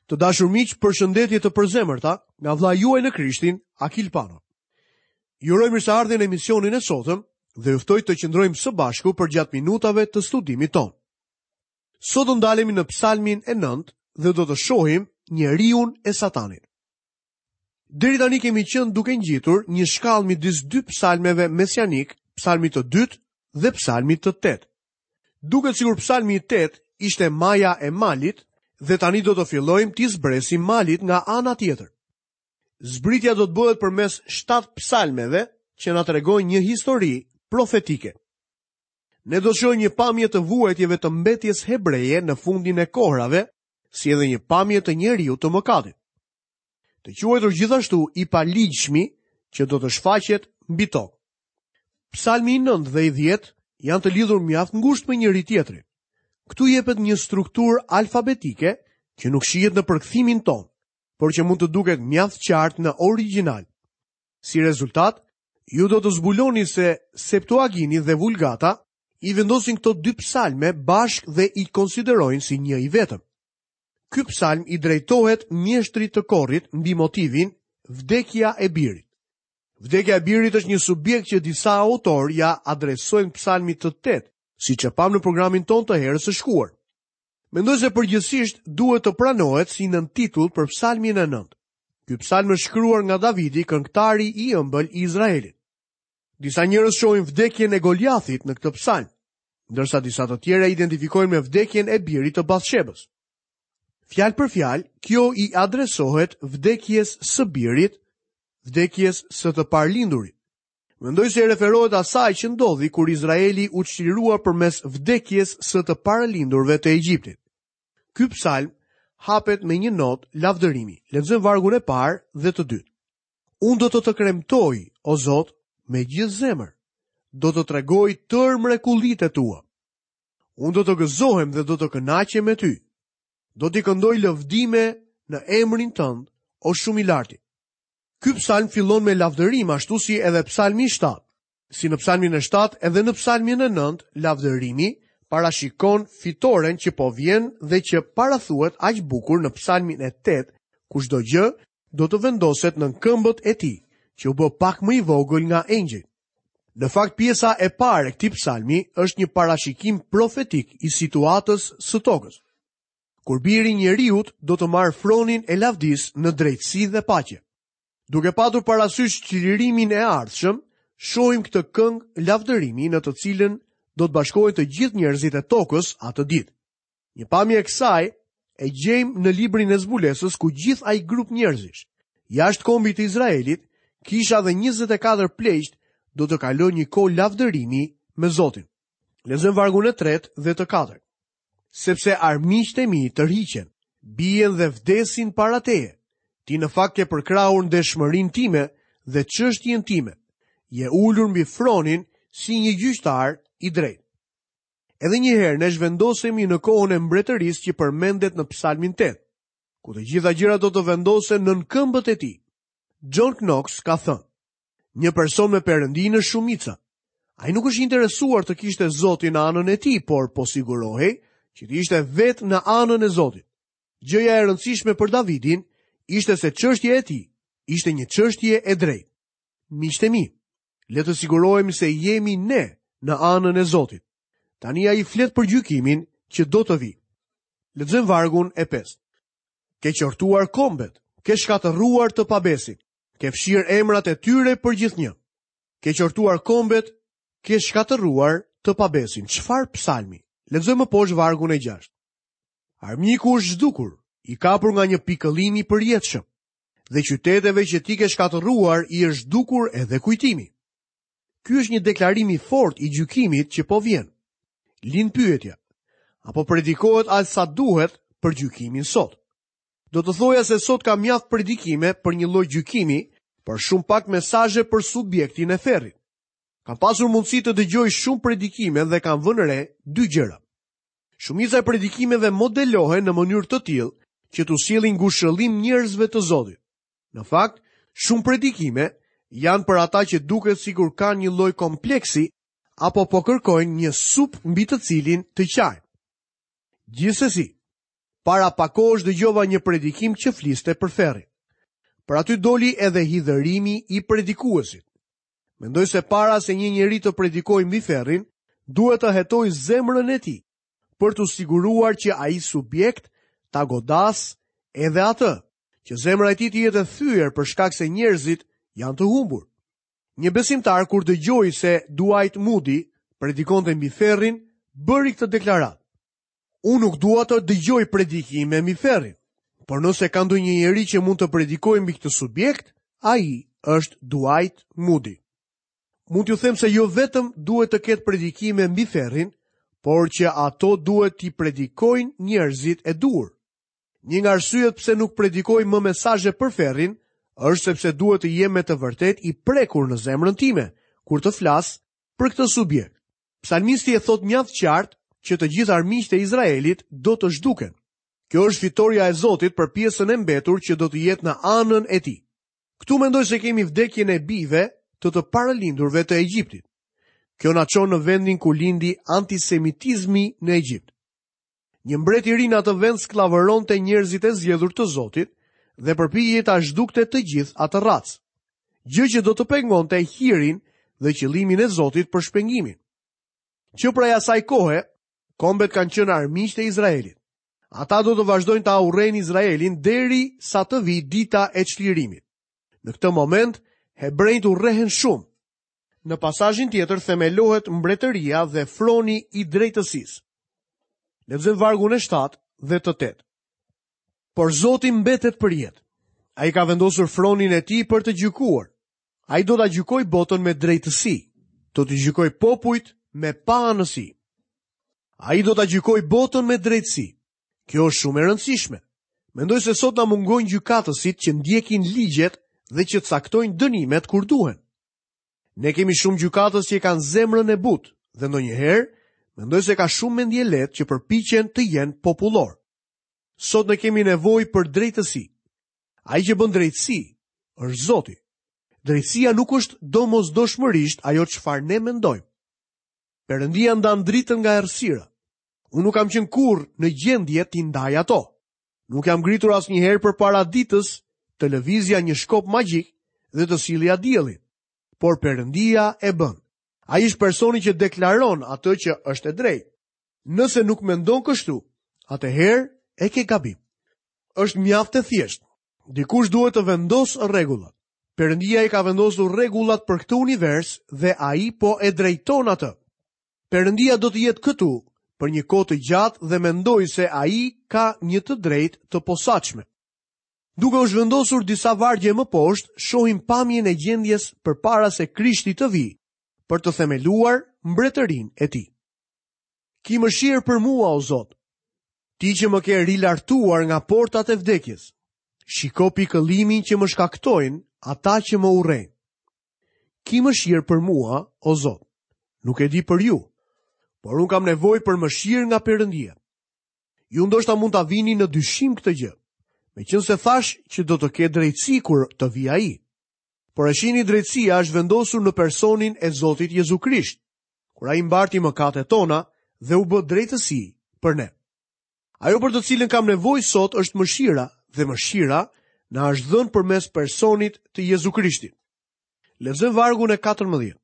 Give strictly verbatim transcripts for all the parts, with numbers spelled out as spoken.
Të dashur miq, përshëndetje të përzemërta nga vëllai juaj në Krishtin, Akil Pano. Ju uroj mirëseardhjen në emisionin e sotëm dhe ju ftoj të qëndrojmë së bashku përgjatë minutave të studimit tonë. Sot do ndalemi në Psalmin e nëntë dhe do të shohim njeriun e Satanit. Deri tani kemi qenë duke ngjitur një shkallë midis dy psalmeve mesianik, psalmit të dytë dhe psalmit të tetë. Duket sikur psalmi i tetë ishte maja e malit dhe tani do të fillojmë t'i zbresim malit nga ana tjetër. Zbritja do të bëhet përmes shtatë psalmeve që na tregojnë një histori profetike. Ne do të shohim një pamje të vuajtjeve të mbetjes hebreje në fundin e kohrave, si edhe një pamje të njeriu të mëkatit. Të quajtur gjithashtu i paligjshmi që do të shfaqet mbi tokë. Psalmi i nëntë dhe i dhjetë janë të lidhur mjaft ngushtë me njëri tjetrin. Këtu jepet një strukturë alfabetike që nuk shihet në përkthimin ton, por që mund të duket mjaft qartë në origjinal. Si rezultat, ju do të zbuloni se Septuagini dhe Vulgata i vendosin këto dy psalme bashkë dhe i konsiderojnë si një i vetëm. Ky psalm i drejtohet mjeshtrit të korit mbi motivin vdekja e birit. Vdekja e birit është një subjekt që disa autor ja adresojnë psalmit të tetë, siç e pam në programin ton të herës së shkuar. Mendoj se përgjithsisht duhet të pranohet si nën titull për psalmin e nëntë. Ky psalm është shkruar nga Davidi, këngëtari i ëmbël i Izraelit. Disa njerëz shohin vdekjen e Goliathit në këtë psalm, ndërsa disa të tjerë e identifikojnë me vdekjen e birit të Bathshebës. Fjalë për fjalë, kjo i adresohet vdekjes së birit, vdekjes së të parlindurit. Mendoj se i referohet asaj që ndodhi kur Izraeli u çlirua përmes vdekjes së të paralindurve të Egjiptit. Ky psalm hapet me një notë lavdërimi. Lexojmë vargun e parë dhe të dytë. Unë do të të kremtoj, o Zot, me gjithë zemër. Do të tregoj tërë mrekullitë e tua. Unë do të gëzohem dhe do të kënaqem me ty. Do t'i këndoj lëvdime në emrin tënd, o shumë i larti. Ky psalm fillon me lavdërim ashtu si edhe psalmi i shtatë. Si në psalmin e shtatë edhe në psalmin e nëntë, lavdërimi parashikon fitoren që po vjen dhe që parathuhet aq bukur në psalmin e tetë, ku çdo gjë do të vendoset në këmbët e tij, që u bë pak më i vogël nga engjëjt. Në fakt, pjesa e parë e këtij psalmi është një parashikim profetik i situatës së tokës. Kur biri i njeriut do të marrë fronin e lavdisë në drejtësi dhe paqe. Duke patur parasysh çlirimin e ardhshëm, shohim këtë këngë lavdërimi në të cilën do të bashkohen të gjithë njerëzit e tokës atë ditë. Një pamje e kësaj e gjejmë në librin e zbulesës ku gjithë ai grup njerëzish, jashtë kombit të Izraelit, kisha dhe njëzet e katër pleqt do të kalojnë një kohë lavdërimi me Zotin. Lexojmë vargun e tretë dhe të katërt. Sepse armiqtë e mi tërhiqen, bien dhe vdesin para teje. Ti në fakt ke përkrahur ndeshmërinë time dhe çështjen time. Je ulur mbi fronin si një gjyqtar i drejtë. Edhe një herë ne zhvendosemi në kohën e mbretërisë që përmendet në Psalmin tetë, ku të gjitha gjërat do të vendosen nën këmbët e tij. John Knox ka thënë: Një person me perëndinë është shumica. Ai nuk është interesuar të kishte Zotin në anën e tij, por po sigurohej që të ishte vetë në anën e Zotit. Gjëja e rëndësishme për Davidin ishte se çështja e tij ishte një çështje e drejtë. Miqtë e mi, le të sigurohemi se jemi ne në anën e Zotit. Tani ai flet për gjykimin që do të vijë. Lexojmë vargun e pestë. Ke qortuar kombet, ke shkatërruar të pabesit, ke fshirë emrat e tyre për gjithnjë. Ke qortuar kombet, ke shkatërruar të pabesin. Çfarë psalmi? Lexojmë më poshtë vargun e gjashtë. Armiku është zhdukur, i kapur nga një pikëllim i përjetshëm, dhe qyteteve që ti ke shkatërruar i është zhdukur edhe kujtimi. Ky është një deklarim i fortë i gjykimit që po vjen. Lind pyetja, apo predikohet aq sa duhet për gjykimin sot? Do të thoja se sot ka mjaft predikime për një lloj gjykimi, por shumë pak mesazhe për subjektin e ferrit. Kam pasur mundësi të dëgjoj shumë predikime dhe kam vënë re dy gjëra. Shumica e predikimeve modelohen në mënyrë të tillë që t'u sjellin ngushëllim njerëzve të Zotit. Në fakt, shumë predikime janë për ata që duket sikur kanë një lloj kompleksi apo po kërkojnë një sup mbi të cilin të qajnë. Gjithsesi, Para pak kohësh dëgjova një predikim që fliste për ferrin. Por aty doli edhe hidhërimi i predikuesit. Mendoj se para se një njeri të predikojë mbi ferrin, duhet të hetojë zemrën e tij, për t'u siguruar që ai subjekt ta godas edhe atë, që zemra e tij të jetë e thyer për shkak se njerëzit janë të humbur. Një besimtar kur dëgjoi se Dwight Moody predikonte mbi ferrin, bëri këtë deklaratë. Unë nuk dua të dëgjoj predikime mbi ferrin, por nëse ka ndonjë njeri që mund të predikojë mbi këtë subjekt, ai është Dwight Moody. Mund t'ju them se jo vetëm duhet të ketë predikime mbi ferrin, por që ato duhet t'i predikojnë njerëzit e duhur. Një nga arsyet pse nuk predikoj më mesazhe për ferrin, është sepse duhet të jem me të vërtetë i prekur në zemrën time kur të flas për këtë subjekt. Psalmisti e thot mjaft qartë që të gjithë armiqtë e Izraelit do të zhduken. Kjo është fitoria e Zotit për pjesën e mbetur që do të jetë në anën e tij. Këtu mendoj se kemi vdekjen e bijve të të paralindurve të Egjiptit. Kjo na çon në vendin ku lindi antisemitizmi në Egjipt. Një mbret i ri në atë vend skllavëronte njerëzit e zgjedhur të Zotit dhe përpiqej ta zhdukte të gjithë atë racë, gjë që do të pengonte hirin dhe qëllimin e Zotit për shpengimin. Që prej asaj kohe, kombet kanë qenë armiqtë e Izraelit. Ata do të vazhdojnë ta urrejnë Izraelin deri sa të vijë dita e çlirimit. Në këtë moment, hebrejt urrehen shumë. Në pasazhin tjetër themelohet mbretëria dhe froni i drejtësisë. Lexojmë vargun e shtatë dhe të tetë. Por Zoti mbetet për jetë. Ai ka vendosur fronin e tij për të gjykuar. Ai do ta gjykojë botën me drejtësi, do të gjykojë popujt me paanësi. Ai do ta gjykojë botën me drejtësi. Kjo është shumë e rëndësishme. Mendoj se sot na mungojnë gjykatësit që ndjekin ligjet dhe që caktojnë dënimet kur duhen. Ne kemi shumë gjykatës që kanë zemrën e butë dhe ndonjëherë mendoj se ka shumë mendje lehtë që përpiqen të jenë popullor. Sot ne kemi nevojë për drejtësi. Ai që bën drejtësi është Zoti. Drejtësia nuk është domosdoshmërisht ajo çfarë ne mendojmë. Perëndia ndan dritën nga errësira. Unë nuk kam qenë kurrë në gjendje t'i ndaj ato. Nuk jam ngritur asnjëherë përpara ditës të lëvizja një shkop magjik dhe të sillja diellin. Por Perëndia e bën. Ai është personi që deklaron atë që është e drejtë. Nëse nuk mendon kështu, atëherë e ke gabim. Është mjaft e thjeshtë. Dikush duhet të vendosë rregullat. Perëndia i ka vendosur rregullat për këtë univers dhe ai po e drejton atë. Perëndia do të jetë këtu për një kohë të gjatë dhe mendoj se ai ka një të drejtë të posaçme. Duke u zhvendosur disa vargje më poshtë, shohim pamjen e gjendjes përpara se Krishti të vijë për të themeluar mbretërinë e tij. Ki mëshirë për mua, o Zot, ti që më ke rilartuar nga portat e vdekjes. Shiko pikëllimin që më shkaktojnë ata që më urrejnë. Ki mëshirë për mua, o Zot. Nuk e di për ju, por unë kam nevojë për mëshirë nga Perëndia. Ju ndoshta mund ta vini në dyshim këtë gjë, meqense thash që do të ketë drejtësi kur të vijë ai. Por e shihni, drejtësia është vendosur në personin e Zotit Jezu Krisht, kur ai mbarti mëkatet tona dhe u bë drejtësi për ne. Ajo për të cilën kam nevojë sot është mëshira, dhe mëshira na është dhënë përmes personit të Jezu Krishtit. Lexojmë vargun e katërmbëdhjetë.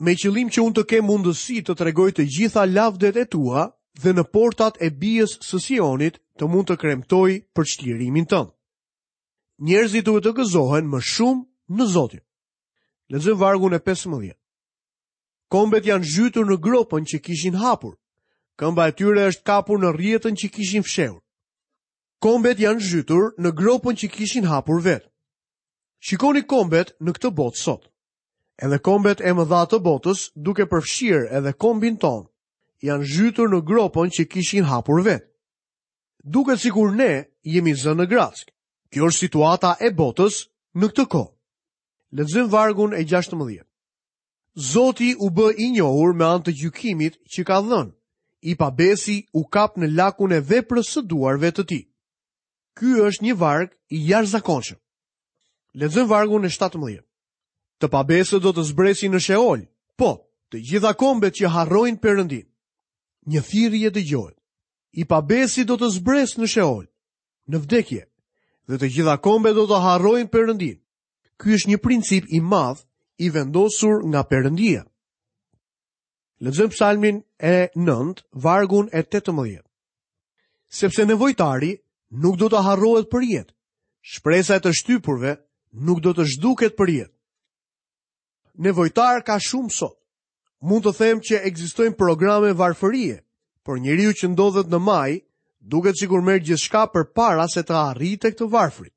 Me qëllim që unë të kem mundësi të tregoj të gjitha lavdet e tua dhe në portat e bijës së Sionit të mund të kremtoj për çlirimin tënd. Njerëzit duhet të gëzohen më shumë në Zotin. Lexojmë vargun e pesëmbëdhjetë. Kombet janë zhytur në gropën që kishin hapur. Këmba e tyre është kapur në rrjetën që kishin fshehur. Kombet janë zhytur në gropën që kishin hapur vetë. Shikoni kombet në këtë botë sot. Edhe kombet e mëdha të botës, duke përfshirë edhe kombin ton, janë zhytur në gropën që kishin hapur vetë. Duket sikur ne jemi zënë në grackë. Kjo është situata e botës në këtë kohë. Lexojmë vargun e gjashtëmbëdhjetë. Zoti u bë i njohur me anë të gjykimit që ka dhënë. I pabesi u kap në lakun e veprës së duarve të tij. Ky është një varg i jashtëzakonshëm. Lexojmë vargun e shtatëmbëdhjetë. Të pabesët do të zbresin në Sheol, po, të gjitha kombet që harrojnë Perëndin. Një thirrje dëgjohet. I pabesi do të zbresë në Sheol, në vdekje, dhe të gjitha kombet do të harrojnë Perëndin. Ky është një princip i madh i vendosur nga Perëndia. Lexojmë Psalmin e nëntë, vargun e tetëmbëdhjetë. Sepse nevojtari nuk do të harrohet për jetë, shpresa e të shtypurve nuk do të zhduket për jetë. Nevojtar ka shumë sot. Mund të them që ekzistojnë programe varfërie, por njeriu që ndodhet në maj duket sikur merr gjithçka përpara se të arrijë tek të varfrit.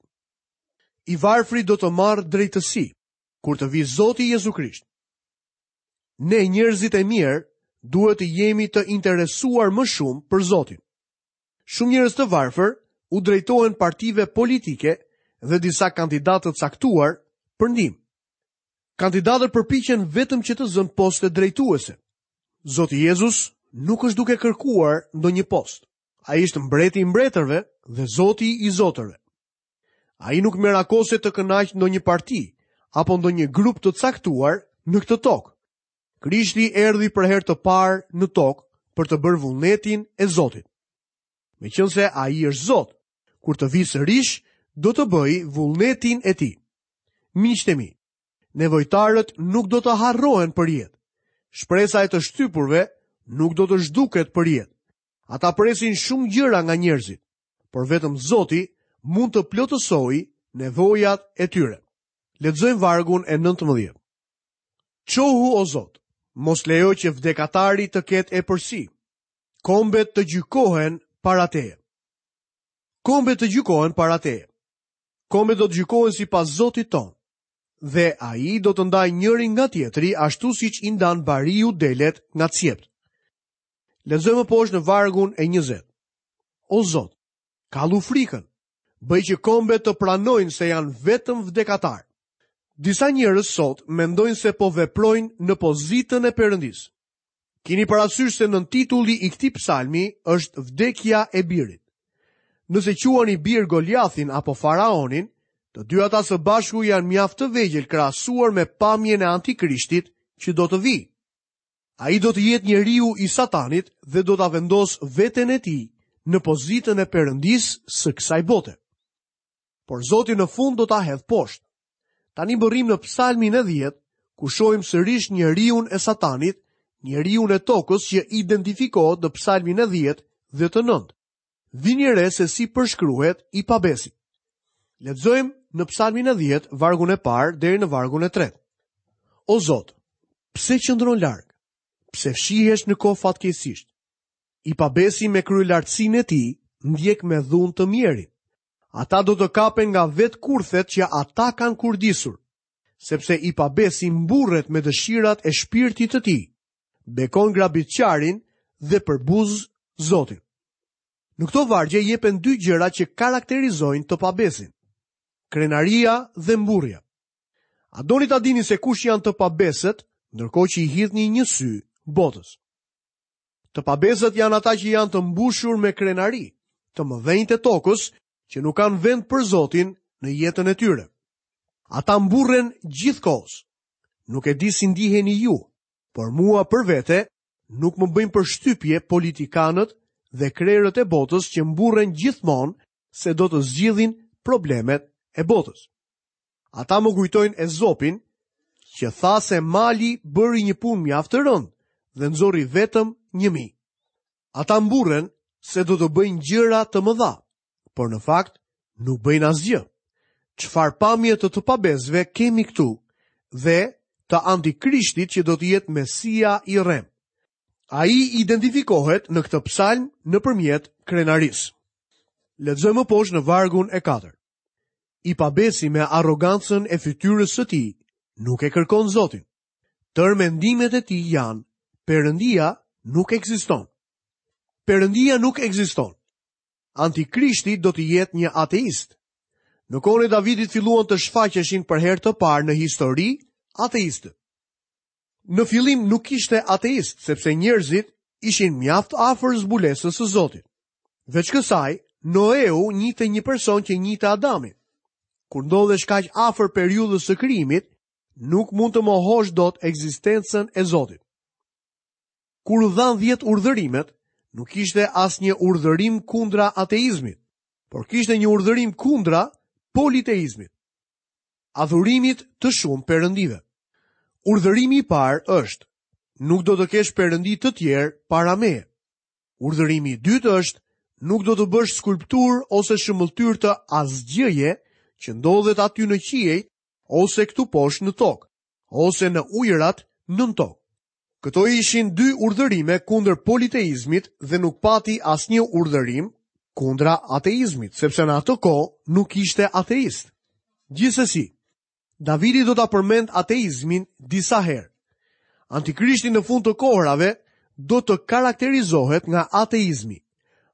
I varfri do të marrë drejtësi kur të vijë Zoti Jezu Krisht. Ne njerëzit e mirë duhet të jemi të interesuar më shumë për Zotin. Shumë njerëz të varfër u drejtohen partive politike dhe disa kandidatë të caktuar për ndihmë. Kandidatët përpiqen vetëm që të zënë poste drejtuese. Zoti Jezus nuk është duke kërkuar ndonjë post. Ai është mbreti i mbretërve dhe Zoti i zotërve. Ai nuk merakoset të kënaqë ndonjë parti apo ndonjë grup të caktuar në këtë tokë. Krishti erdhi për herë të parë në tokë për të bërë vullnetin e Zotit. Meqense ai është Zot, kur të vijë sërish, do të bëjë vullnetin e tij. Miqtë e mi, nevojtarët nuk do të harrohen për jetë. Shpresa e të shtypurve nuk do të zhduket për jetë. Ata presin shumë gjëra nga njerëzit, por vetëm Zoti mund të plotësojë nevojat e tyre. Lexojmë vargun e nëntëmbëdhjetë. Çohu o Zot, mos lejo që vdekatari të ketë epërsi. Kombet të gjykohen para teje. Kombet të gjykohen para teje. Kombet do të gjykohen sipas Zotit tonë, dhe ai do të ndajë njërin nga tjetri ashtu siç i ndan bariu delet nga cjept. Lexojmë poshtë në vargun e njëzet. O Zot, kallu frikën, bëj që kombet të pranojnë se janë vetëm vdekatar. Disa njerëz sot mendojnë se po veprojnë në pozitën e Perëndisë. Kini parasysh se nën titulli i këtij psalmi është vdekja e birit. Nëse quani bir Goliathin apo Faraonin, të dy ata së bashku janë mjaft të vegjël krahasuar me pamjen e Antikrishtit që do të vijë. Ai do të jetë njeriu i Satanit dhe do ta vendosë veten e tij në pozitën e Perëndisë së kësaj bote. Por Zoti në fund do ta hedhë poshtë. Tani mbërrim në Psalmin e dhjetë, ku shohim sërish njeriun e Satanit, njeriun e tokës që identifikohet në Psalmin e dhjetë dhe të nëntë. Vini re se si përshkruhet i pabesi. Lexojmë në Psalmin e dhjetë, vargun e parë deri në vargun e tretë. O Zot, pse qëndron larg? Pse fshihesh në kohë fatkeqësisht? I pabesi me kryelartësinë e tij ndjek me dhunë të mjerin. Ata do të kapen nga vetë kurthet që ata kanë kurdisur, sepse i pabesi mburret me dëshirat e shpirtit të tij, bekon grabitqarin dhe përbuz Zotin. Në këto vargje jepen dy gjëra që karakterizojnë të pabesin: krenaria dhe mburrja. A doni ta dini se kush janë të pabesët, ndërkohë që i hidhni një sy botës? Të pabesët janë ata që janë të mbushur me krenari, të mëdhenjtë e tokës, që nuk kanë vend për Zotin në jetën e tyre. Ata mburren gjithkohës. Nuk e di si ndiheni ju, por mua për vete nuk më bëjnë përshtypje politikanët dhe krerët e botës që mburren gjithmonë se do të zgjidhin problemet e botës. Ata më kujtojnë Ezopin, që tha se mali bëri një punë mjaft të rëndë dhe nxori vetëm një mijë. Ata mburren se do të bëjnë gjëra të mëdha, por në fakt nuk bëjnë asgjë. Çfarë pamje të të pabesëve kemi këtu dhe të antikrishtit që do të jetë Mesia i rrem. Ai identifikohet në këtë psalm nëpërmjet krenarisë. Lexojmë më poshtë në vargun e katërt. I pabesi me arrogancën e fytyrës së tij nuk e kërkon Zotin. Tërë mendimet e tij janë, Perëndia nuk ekziston. Perëndia nuk ekziston. Antikrishti do të jetë një ateist. Në kohën e Davidit filluan të shfaqeshin për herë të parë në histori ateistët. Në fillim nuk ishte ateist, sepse njerëzit ishin mjaft afër zbulesës së Zotit. Veç kësaj, Noeu njihte një person që njihte Adamin. Kur ndodhesh kaq afër periudhës së krijimit, nuk mund të mohosh dot ekzistencën e Zotit. Kur u dhanë dhjetë urdhërimet, Nuk kishte asnjë urdhërim kundra ateizmit, por kishte një urdhërim kundra politeizmit, adhurimit të shumë perëndive. Urdhërimi i parë është: nuk do të kesh perëndi të tjerë para meje. Urdhërimi i dytë është: nuk do të bësh skulpturë ose shëmbëlltyrë të asgjëje që ndodhet aty në qiej ose këtu poshtë në tokë, ose në ujërat nën tokë. Këto ishin dy urdhërime kundër politeizmit dhe nuk pati asnjë urdhërim kundra ateizmit, sepse në atë kohë nuk ishte ateist. Gjithsesi, Davidi do ta përmend ateizmin disa herë. Antikrishti në fund të kohërave do të karakterizohet nga ateizmi.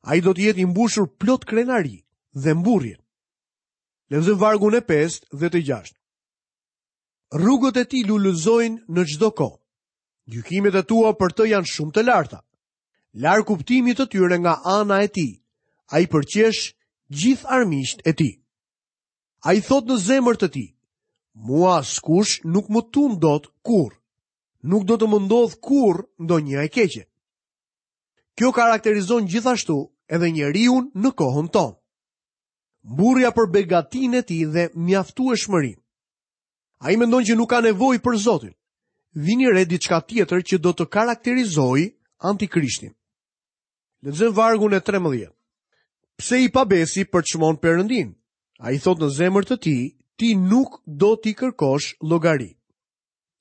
Ai do të jetë i mbushur plot krenari dhe mburrje. Lexojmë vargun e pestë dhe të gjashtë. Rrugët e tij lulëzojnë në çdo kohë. Gjykimet e tua për të janë shumë të larta. Larg kuptimit të tyre nga ana e tij, ai përqesh gjithë armiqtë e tij. Ai thotë në zemër të tij: mua askush nuk më tund dot kurrë. Nuk do të më ndodh kurrë ndonjë e keqe. Kjo karakterizon gjithashtu edhe njeriun në kohën tonë. Mburrja për begatinë e tij dhe mjaftueshmërinë. Ai mendon që nuk ka nevojë për Zotin. Vini re diçka tjetër që do të karakterizojë antikrishtin. Lexojmë vargun e trembëdhjetë. Pse i pabesi përçmon Perëndin? Ai thotë në zemër të tij: ti nuk do t'i kërkosh llogari.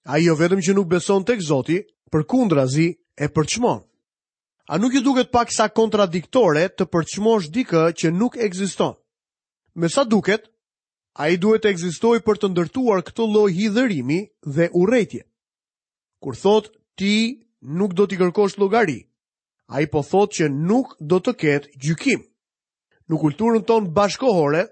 Ai jo vetëm që nuk beson tek Zoti, përkundrazi e përçmon. A nuk ju duket pak sa kontradiktore të përçmosh dikë që nuk ekziston? Me sa duket, ai duhet të ekzistojë për të ndërtuar këtë lloj hidhërimi dhe urrejtje. Kur thotë ti nuk do t'i kërkosh llogari, ai po thotë që nuk do të ketë gjykim. Në kulturën tonë bashkohore,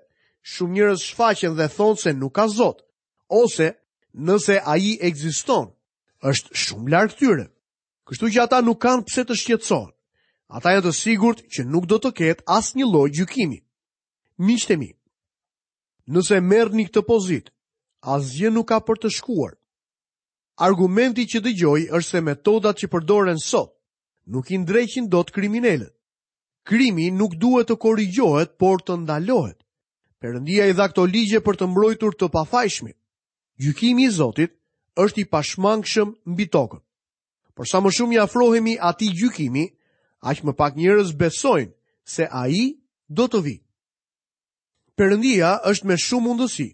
shumë njerëz shfaqen dhe thonë se nuk ka Zot, ose nëse ai ekziston, është shumë larg tyre. Kështu që ata nuk kanë pse të shqetësohen. Ata janë të sigurt që nuk do të ketë asnjë lloj gjykimi. Miqtë e mi, nëse merrni këtë pozitë, asgjë nuk ka për të shkuar. Argumenti që dëgjoj është se metodat që përdoren sot nuk i ndreqin dot kriminalët. Krimi nuk duhet të korrigjohet, por të ndalohet. Perëndia i dha këto ligje për të mbrojtur të pafajshmit. Gjykimi i Zotit është i pashmangshëm mbi tokën. Por sa më shumë i afrohemi atij gjykimi, aq më pak njerëz besojnë se ai do të vijë. Perëndia është me shumë mundësi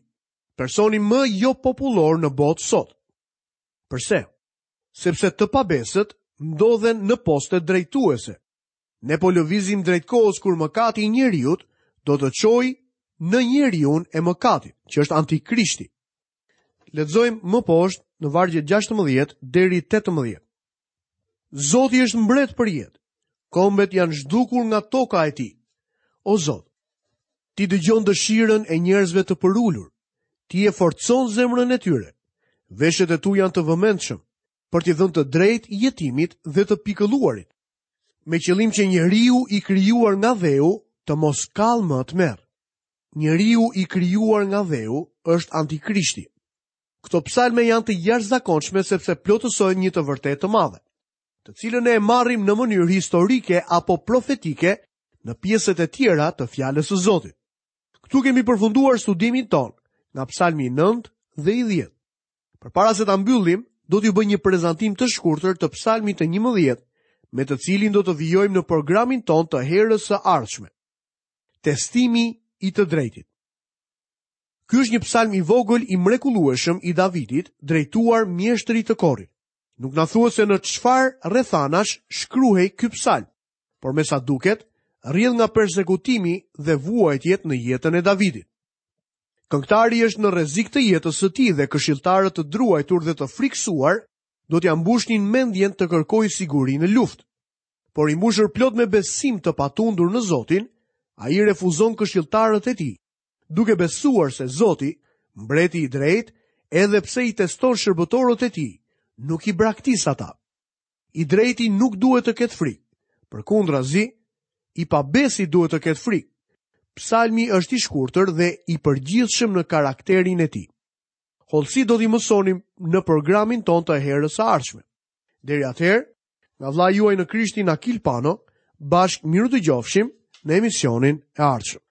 personi më jo popullor në botë sot. Përse? Sepse të pabesët ndodhen në poste drejtuese. Ne po lëvizim drejt kohës kur mëkati i njeriut do të çojë në njeriun e mëkatit, që është antikrishti. Lexojmë më poshtë në vargjet gjashtëmbëdhjetë deri tetëmbëdhjetë. Zoti është mbret për jetë. Kombet janë zhdukur nga toka e tij. O Zot, ti dëgjon dëshirën e njerëzve të përulur. Ti e forcon zemrën e tyre. Veshët e tu janë të vëmendshëm për t'i dhënë të drejtë jetimit dhe të pikëlluarit, me qëllim që njeriu i krijuar nga dheu të mos kall më të merr. Njeriu i krijuar nga dheu është antikrishti. Këto psalme janë të jashtëzakonshme sepse plotësojnë një të vërtetë të madhe, të cilën ne e marrim në mënyrë historike apo profetike në pjesët e tjera të fjalës së Zotit. Këtu kemi përfunduar studimin ton nga psalmi nëntë dhe i dhjetë. Përpara se ta mbyllim, do t'ju bëj një prezantim të shkurtër të psalmit të njëmbëdhjetë, me të cilin do të vijojmë në programin ton të herës së ardhshme. Testimi i të drejtit. Ky është një psalm i vogël i mrekullueshëm i Davidit, drejtuar mjeshtrit të korit. Nuk na thuhet se në çfarë rrethanash shkruhej ky psalm, por me sa duket, rrjedh nga persekutimi dhe vuajtjet në jetën e Davidit. Këngëtari është në rrezik të jetës së tij dhe këshilltarët të druajtur dhe të friksuar do t'ia mbushnin mendjen të kërkojë siguri në luftë. Por i mbushur plot me besim të patundur në Zotin, ai refuzon këshilltarët e tij, duke besuar se Zoti, mbreti i drejtë, edhe pse i teston shërbëtorët e tij, nuk i braktis ata. I drejti nuk duhet të ketë frikë, përkundrazi, i pabesi duhet të ketë frikë. Psalmi është i shkurtër dhe i përgjithshëm në karakterin e tij. Hollësi do t'i mësonim në programin ton të herës së ardhshme. Deri atëherë, nga vllai juaj në Krishtin Akil Pano, Bashkë mirudëgjofshim në emisionin e ardhshëm.